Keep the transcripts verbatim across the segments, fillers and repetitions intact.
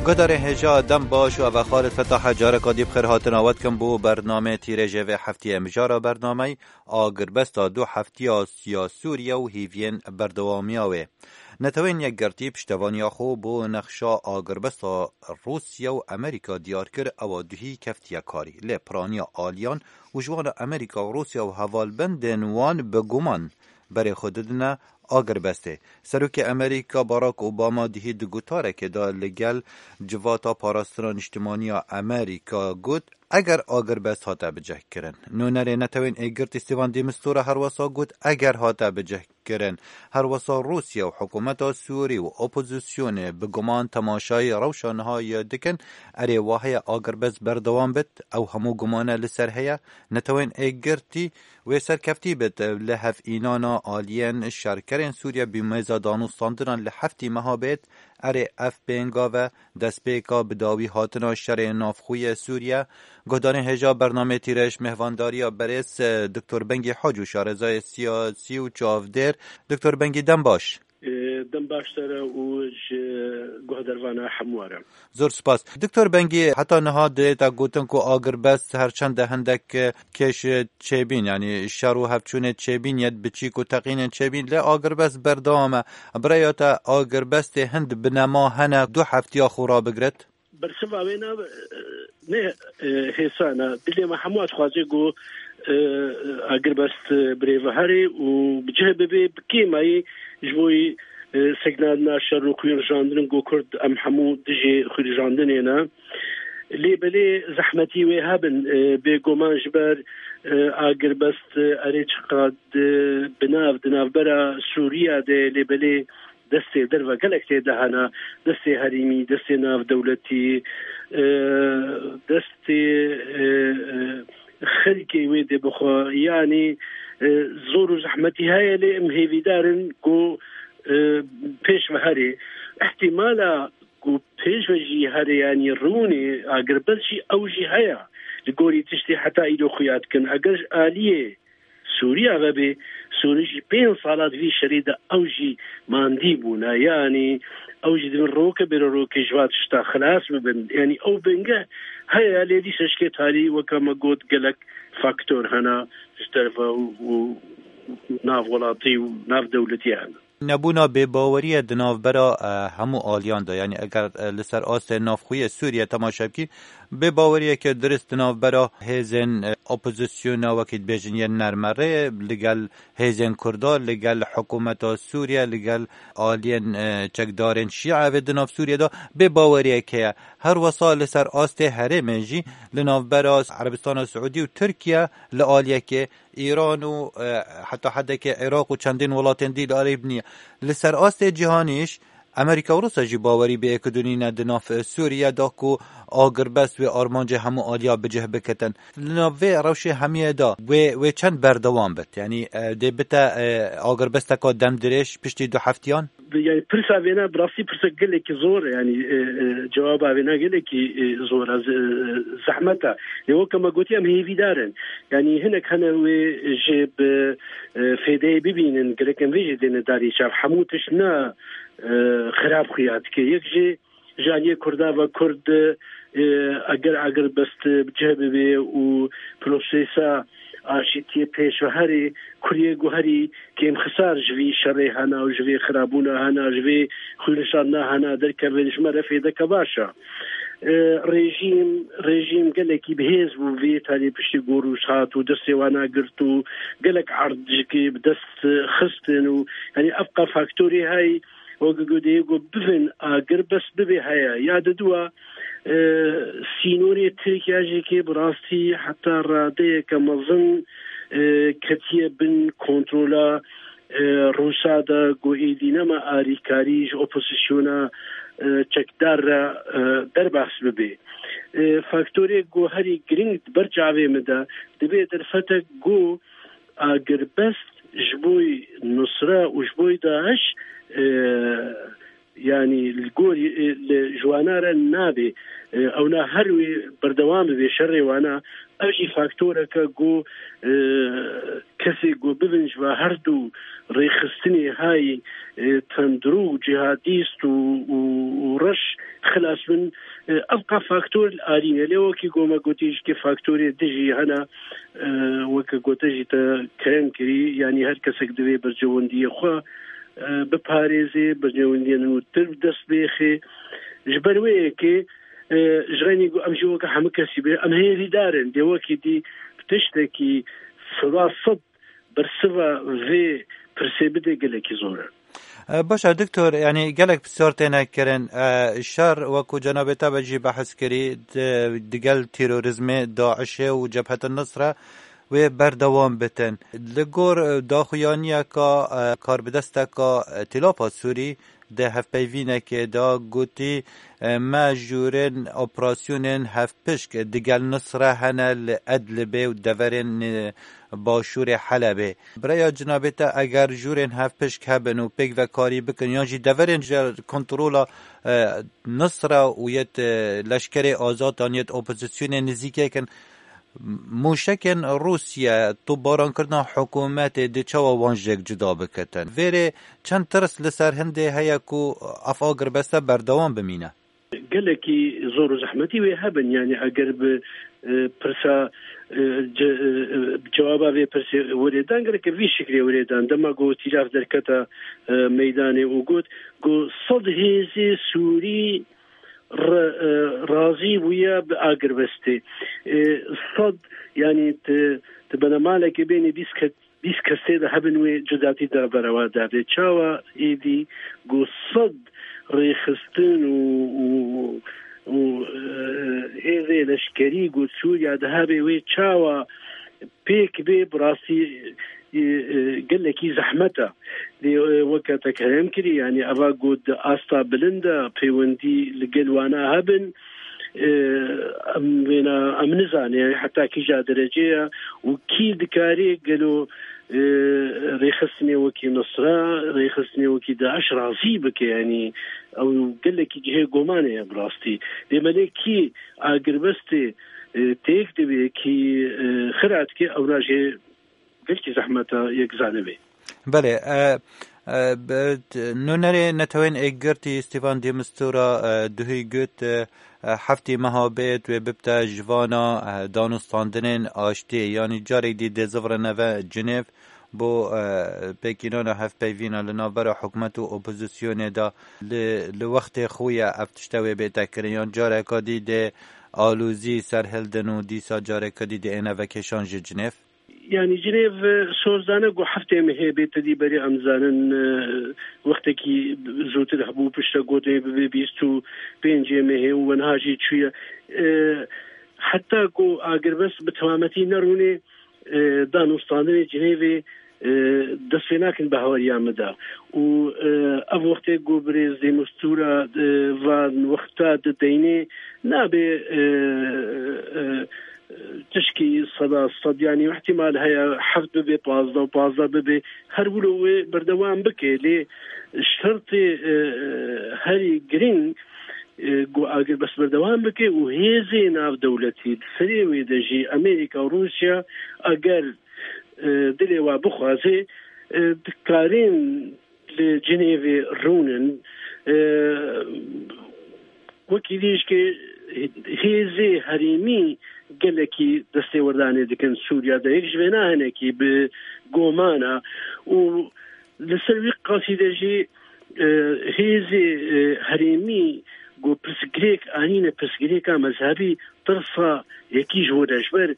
Guhdarên hêja dem baş û eve Xalid Fetah e, careka dî bi xêr hatina we dikim bo bernameyê tîrêjê vê heftiyê. Mijara bernameyê agirbesta du heftiya ya Sûriye û hêviyên berdewamiya wê. Netewên Yekgirtî piştevaniya xwe bo nexşa agirbesta Rûsya û Amerîka diyar kir, ewa duhî keftiye karî. Lê piraniya aliyan û ji wan re Amerîka û Rûsya û hevalbendên wan bi guman berê xwe didine agirbestê. Serokê Amerîka Barack Obama dihî di gotarekê de li gel Civata Parastina Niştimanî ya Amerîka got, eger agirbest hate bicihkirin. Nûnerê Netewên Êgirtî Stefan de Mistura herwesa got, eger hate bicihkirin. Herwesa Rûsya û hikûmeta Sûrî û opozisyonê bi guman temaşayê rewşa niha yê dikin, erê wa heye agirbest berdewam bit, ew hemû gumane li ser heye. Netewên Êgirtî wê serkeftî bit, li hevînana aliyên şerkerên Sûriye bîmêza danûstandinan li heftî meha bêt, erê ev pêngav e, destpêka bi dawî hatina şerê navxwe yê Sûriye. Guhdarên hêja bernameyê tîrêj mêhvandariya berêz, e, Doktor Bengî Hac û şarezayê siyasî û çavdêr Doktor Bengî dem baş. Ê, dem baş te re û ji guhdarvana hemû re. Zor spas. Doktor Bengî, heta niha dê te gotin ku agirbest her çend de hindek, e, kêş, e, çêbîn, yanî şer û hevçûnê çêbîn, yet biçîk û teqînên çêbîn, lê agirbest berdewam e. Bi rêya te agirbestê hind binema hene du heftiya xwe rabigiret? Bersiva wê ne, e, ne, e, hêsan e. Dilê me hemû dixwaze ku, e, agirbest, e, birêve herê û bi cih bibe, bi kêmayî ji bo, e, sekinandina şer û xwînrijandin ku Kurd em hemû dijî xwînrijandinê ne. Lê belê zehmetî wê hebin, e, bêguman ji ber, e, agirbest, e, erê çiqad, e, bi nav, di navbera Sûriya de, lê belê destê derve gelek tê de hene, destê herêmî, destê navdewletî, e, destê, e, e, xelkê wê dê bixwe. Yanî, e, zor û zehmetî heye, lê em hêvîdar in ku, e, pêş ve herê. Îhtîmala ku pêş ve jî herê, yanî rûnê agirbest jî ew jî heye. Li gorî tiştê heta îro xuya dikin. Eger ji aliyê Sûriya vebê, Sûrî jî pênc sala di vî şerê de ew jî mandî bûne. Yanî ew jî dibin roke bêro rokê ji va tişta xilas bibin. Yanî ew bingeh heye, lê dîsa ji kê tarî weke me got gelek faktor hene ji terfa û, û nav welatî û nav dewletî hene. Nebûna bêbaweriyê di navbera, e, hemû aliyan de, yanî eger, e, li ser astê navxweyê Sûriye temaşe bikî, bêbaweriyeke dirist di navbera hêzên, e, opozisyona, wekî dibêjin yên nermerê, li gel hêzên Kurda, li gel hikûmeta Sûriye, li gel aliyên, e, çekdarên Şîe vê di nav Sûriye de bêbaweriyek heye. Her wesa li ser astê herêmê jî li navbera Erebistana Siûdî û Tirkiye li aliyekê Îran û, e, heta hedekê Iraq û çendîn welatên dî li alî biniye. Li ser astê cîhanî jî Amerîka û Rûsya jî bawerî bi yekidû nîne di nav, e, Sûriye de ku agirbest wê armancê hemû aliya bi cih bikitin. Li nav vê rewşê hemiyê de wê, wê çend berdewam bit? Yanî, e, dê bite, e, agirbesteka demdirêj piştî du heftiyan? Yanî pirsa vêna bi rastî pirsa gelekî zor e, yanî, e, e, cewaba vêna gelekî, e, zor e, ze-, e, zehmet e. Lê weke me gotiye em hêvîdar in. Yanî hinek hene wê jê bi, e, fêdeyê bibînin, gerek em vê jê dêne darî çav. Hemû tişt ne, e, xirab xuya dike. Yek jê ji aliyê Kurda ve Kurd, e, eger agirbest bi cih bibe û prosesa aşîtiyê pêş ve herê, kuriyê guherî kêmxisar ji vî şerê hena û ji vê xirabûna hena, ji vê xwînişandina hena derkevin, ji me re fêdeke baş e. E, rejîm, rejîm gelekî bi hêz bû vê tarî piştî ku rûj hat û destê wana girt û gelek erd ji kê bi dest xistin û, yanî, ev qe faktorê hey, weke ku dê ku bivin agirbest bibe heye. Ya diduwa, e, sînorê Tirkiye jî kê bi rastî heta radeyeke mezin, e, ketiye bin kontrola, e, Rûsa de ku êdî nema arîkarî ji opozisyona, e, çekdar re, e, derbas bibe. E, faktorê ku herî giring di ber çavê min de dibe derfetek ku agirbest ji bo Nusra û ji bo DAIŞ, e, Yanî li gorî, e, li ji wana re nabê, e, ewna her wê berdewam bibe şerê wana. Ev jî faktoreke ku, e, kesê ku bibin ji va her du rêxistinê hay, e, tundrû, cihadîst û, û, û reş xilas bin, e, ev qa faktor li alî ne. Lê wekî ku me gotî jî kê faktorê dijî hene, e, weke gote jî te kerem kirî, yanî her kesek divê berjewendiyê xwe, e, biparêzê, berjewendiyên nû tir bi dest bêxê. Ji ber wê yekê, e, ji xeynî ku em jî weke hemû kesî bê, em hêvîdar in. Dê wekî dî tiştekî seda sed bersiva vê pirsê bide gelekî zor e. E, baş e, doktor, yanî gelek pisyar têne kirin. E, şer, wekû cenabê te be jî behs kirî, di-, digel terorîzmê, DAIŞê û Cebhet Nusre wê berdewam bitin. Li gor, e, daxuyaniyeka, e, karbidesteka, e, Tîlapa Sûrî di hevpeyvînekê de gotî, e, me jûrên operasyonên hevpişk digel Nusre hene li Edlibê û deverên, e, başûrê Helebê. Bi rêya cinabê te, eger jûrên hevpişk hebin û pêkvekarî bikin yan jî deverên ji kontrola, e, Nusra û yet, e, leşkerê azad an yet opozisyonê nizîkêk in, mûşekên Rûsye, topbarankirina hikûmetê dê çawa wan ji yek cuda biketin? Vêrê çend tirs li ser hindê heye ku ev agirbeste berdewam bimîne? Gelekî zor û zehmetî wê hebin. Yanî eger bi, e, pirsa, e, ce-, e, e, cewaba vê pirsê were dan, gereke vî şiklê were dan. Dema ku Tîlav derketa, e, meydanê û got ku sed hêzê Sûrî re-, e, razî bûye bi agirbestê. E, sed, yanî ti, ti benemalekê bênî bîst ke-, bîst kesê de hebin wê cudatî de berewa dade. Çawa êdî ku sed rêxistin û, û, û, e, hêzê leşkerî ku Sûriya de hebe wê çawa pêk bê, bi rastî, e, e, gelekî zehmet e. Lê, e, weke te kerem kirî, yanî eva ku di asta bilind e, pêwendî li gel wana hebin, e, em vêna, em nizane, yanî heta kîja derecê ye û kî dikarê gelo, e, rêxistinê wekî Nusra, rêxistinê wekî DAIŞ razî bike, yanî ew gelekî cihê gomanê ye bi rastî. Lê me lê kî agirbestê, e, têk dibê, kî, e, xira dike, ewna jê gelkî zehmet e yek zanibê. Belê, e, e, bi-, t-, nûnerê Netewên Êkgirtî Stefan de Mistura, e, duhî got, e, e, heftê meha bêt wê bibte ji vana, e, danûstandinên aştiyê, yanî carek dî dê zivirine ve Cinêv bo, e, pêkînana hevpeyvîna li navbera hikûmet û opozisyonê de li, li wextê xwe ye ev tişte wê bête kirin, yan careka dî dê alozî serhildin û dîsa careka dî dê êne vekêşan ji Cinêv? Yanî Cinêv, e, soz dane ku heftê mehê bê, te dî berê em zanin, e, wextekî zûtir hebû, piştre gotê bibe bîst û pêncê mehê û wenha jî çûye. E, heta ku agirbest bi temametî nerûnê, e, danûstandinê Cinêvê, e, dest pê nakin bi hawariya min de. Û, e, ev wextê ku birêz Demîstûra, e, van wexta dideynê, nabe, e, e, tişkî seda sed, yanî îhtîmal heye heft bibe pazdeh û pazdeh bibe, her wilo wê berdewam bike, lê şertê, e, e, herî girîng, e, ku agirbest berdewam bike û hêzê navdewletî di serê wê de jî Amerîka û Rûsya, eger, e, dilê wa bixwaze, e, dikarên li Cinêvê rûnin. E, wekî dî jî hêzê herêmî gelekî destêwerdanê dikin Sûriya de. Yek ji vêna hinekî bi goman e û li ser wî qasî de jî, e, hêzê, e, herêmî ku pirsgirêk anîne, pirsgirêka mezhebî, tirsa yekî ji wir e, ji ber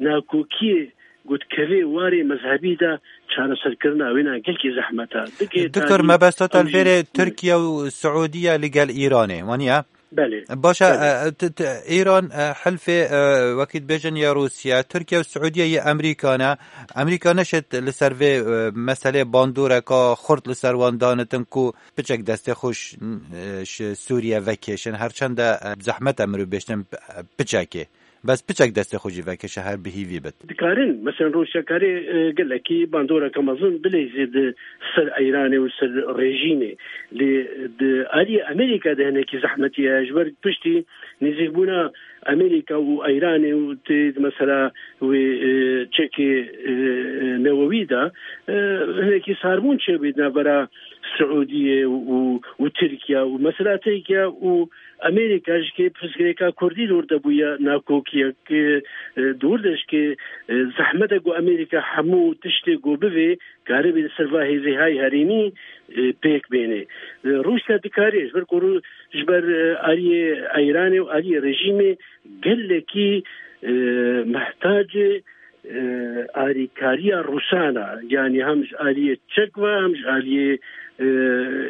nakokiyê ku dikeve warê mezhebî de çareserkirina wêna gelkî zehmet e. Digê Doktor, tarî mebesta te ew jî vêrê Tirkiye û Siûdiye li gel Îranê, waniye? Belê. Baş e, Belê. e, t-, t-, Îran, e, hilfê, e, wekî dibêjin ya Rûsya, Tirkiye û Siûdiye yê Amerîka ne. Amerîka neşêt li ser vê, e, meselê bandoreka xurt li ser wan danitin ku piçek destê xwe ş-, e, ji Sûriye vekêşin. Herçend e, zehmet e mirov bêjtin, e, piçekê. Bes piçek destê xwe jî vekişe, her bi hîvî bit. Dikarin, mesela, Rûsya karê, e, gelekî bandoreke mezin bileyzê di ser Îranê û ser rejîmê. Lê di aliyê Amerîka de hinekî zehmetî ye. Ji ber piştî nêzîkbûna Amerîka û Îranê û tê, mesela, wê, e, çekê, e, e, newewî de, e, hinekî sarbûn çêbû di navbera Siûdiyê û, û Tirkiye û mesela Tirkiye û Amerîka ji kê pirsgirêka Kurdî li wir de bûye nakokiyek, e, di wir de ji kê, e, zehmet e ku Amerîka hemû tiştê ku bivê karibe li ser va hêzê hay herêmî, e, pêk bêne. E, Rûsya dikarê ji ber ku Rû-, ji ber, e, aliyê Îranê û aliyê rejîmê gelekî, e, mehtacê, e, arîkariya Rûsan e. Yanî hem ji aliyê çek ve, hem ji aliyê, e,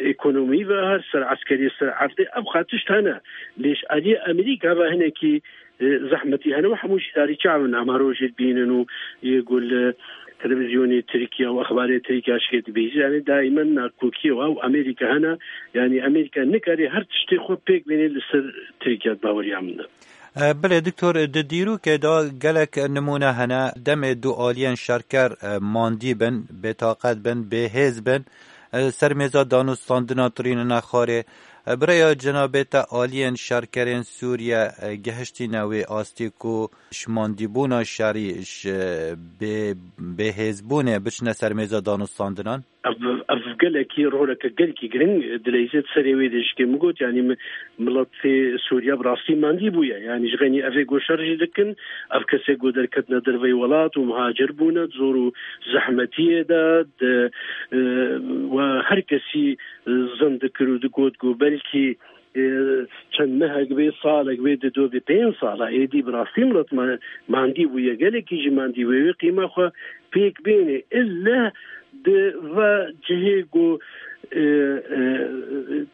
ekonomî ve, her ser eskerî, ser erdê, ev xwe tişt hene. Lê ji aliyê Amerîka ve hinekî, e, zehmetî hene û hemû jî darî çav in, em her rojê dibînin û yê ku li televîzyonê Tirkiye û exbarê Tirkiye şikê dibêjin. Yanî daîmen nakokiyê û ew Amerîka hene. Yanî Amerîka nikare her tiştê xwe pêk bêne li ser Tirkiye, di baweriya min de. E, belê, Doktor, di dîrokê de gelek nimûne hene. Demê du aliyên şerker, e, mandî bin, bêtaqet bin, bêhêz bin, e, ser mêza danûstandina tirînine xwarê. E, bi rêya cenabê te aliyên şerkerên Sûriye, e, gehiştîne wê astê ku ji mandîbûna şerî, ji bê-, bêhêzbûnê biçine ser mêza danûstandinan? Ev, ev gelekî roleke gelekî giring dileyze di serê wê de ji kê min got, yanî mi-, miletê Sûriye bi rastî mandî bûye. Yanî ji xenî evê ku şer jî dikin, ev kesê ku derketine derveyî welat û muhacir bûne, di zor û zehmetiyê de, di, e, we her kesî zin dikir û digot ku belkî, e, çend mehek bê, salek bê, di do bê, pênc sala êdî bi rastî milet ma-, mandî bûye. Gelekî jî mandî bûye. Wê qîma xwe pêk bêne. Îlle di va cihê ku, e, e,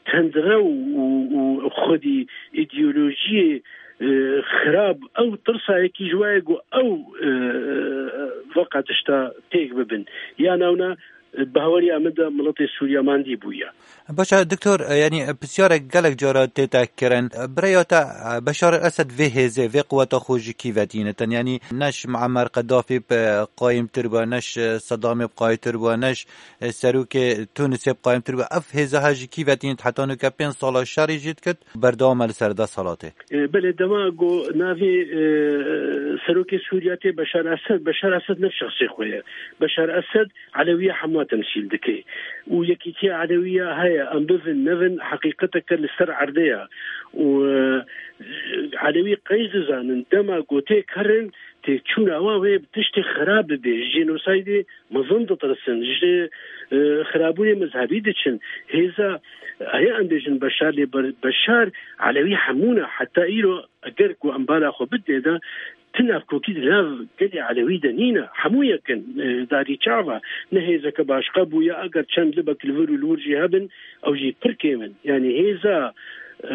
tendrew û, û xwedî îdeolojiyê, e, xirab, ew tirsayekî ji wayê ku ew, e, veqa tişta pêk bibin. Ya newna, e, bahweriya min de miletê Sûriye mandî bûye. Baş e, Doktor, e, yanî, e, pisyarek gelek cara tête kirin. E, bi rêya te, e, Beşar el Esed vê hêzê, vê quweta xwe ji kî ve tînitin? Yanî, ne ji Muammer Qedafî bi qayîmtir bû, ne ji Sedamê bi qayîmtir bû, ne ji, e, serokê Tunisê bi qayîmtir bû. Ev hêza he ji kî ve tînit? Heta nuke pênc sala şerî jî dikit, berdewam e li ser desthilatê. E, belê, dema ku navê, e, serokê Sûriye tê Beşar Esed, Beşar Esed ne şexsê xwe ye. Beşar Esed Elewiya hemû temsîl dike. Û yekîtiya Elewiya heye, em bivin, nevin, heqîqeteke li ser erdê ye. Û, e, Elewî qey dizanin, dema ku têk herin, têkçûna wan wê bi tiştê xirab bibê, ji jênosaydê mezin ditirsin, ji, e, xirabûnê mezhebî diçin. Hêza, heye em bêjin Beşar, lê Ber-, Beşar Elewî hemû ne, heta îro eger ku em bala xwe bidinê de, ti navkokî di nav gelê Elewî de nîne, hemû yek in, e, darî çav e, ne hêzeke başqa bûye, eger çend libek li vir û li wir jî hebin, ew jî pir kêm in. Yanî hêza, e,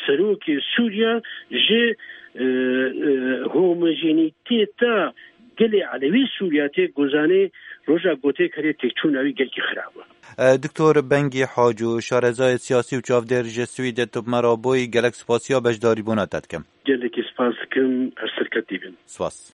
serokê Sûriye ji, e, e, homojenîteta gelê Elewî Sûriye tê gozanê, roja gotê kerê têkçûna wî gelkî xirab e. E, Doktor Bengî Haco, şarezayê siyasî û çavdêr ji Swîdê, tu bi me re bûyî, gelek spasiya beşdarîbûna te dikim. Gelekî spas dikim, her serketî bin. Spas.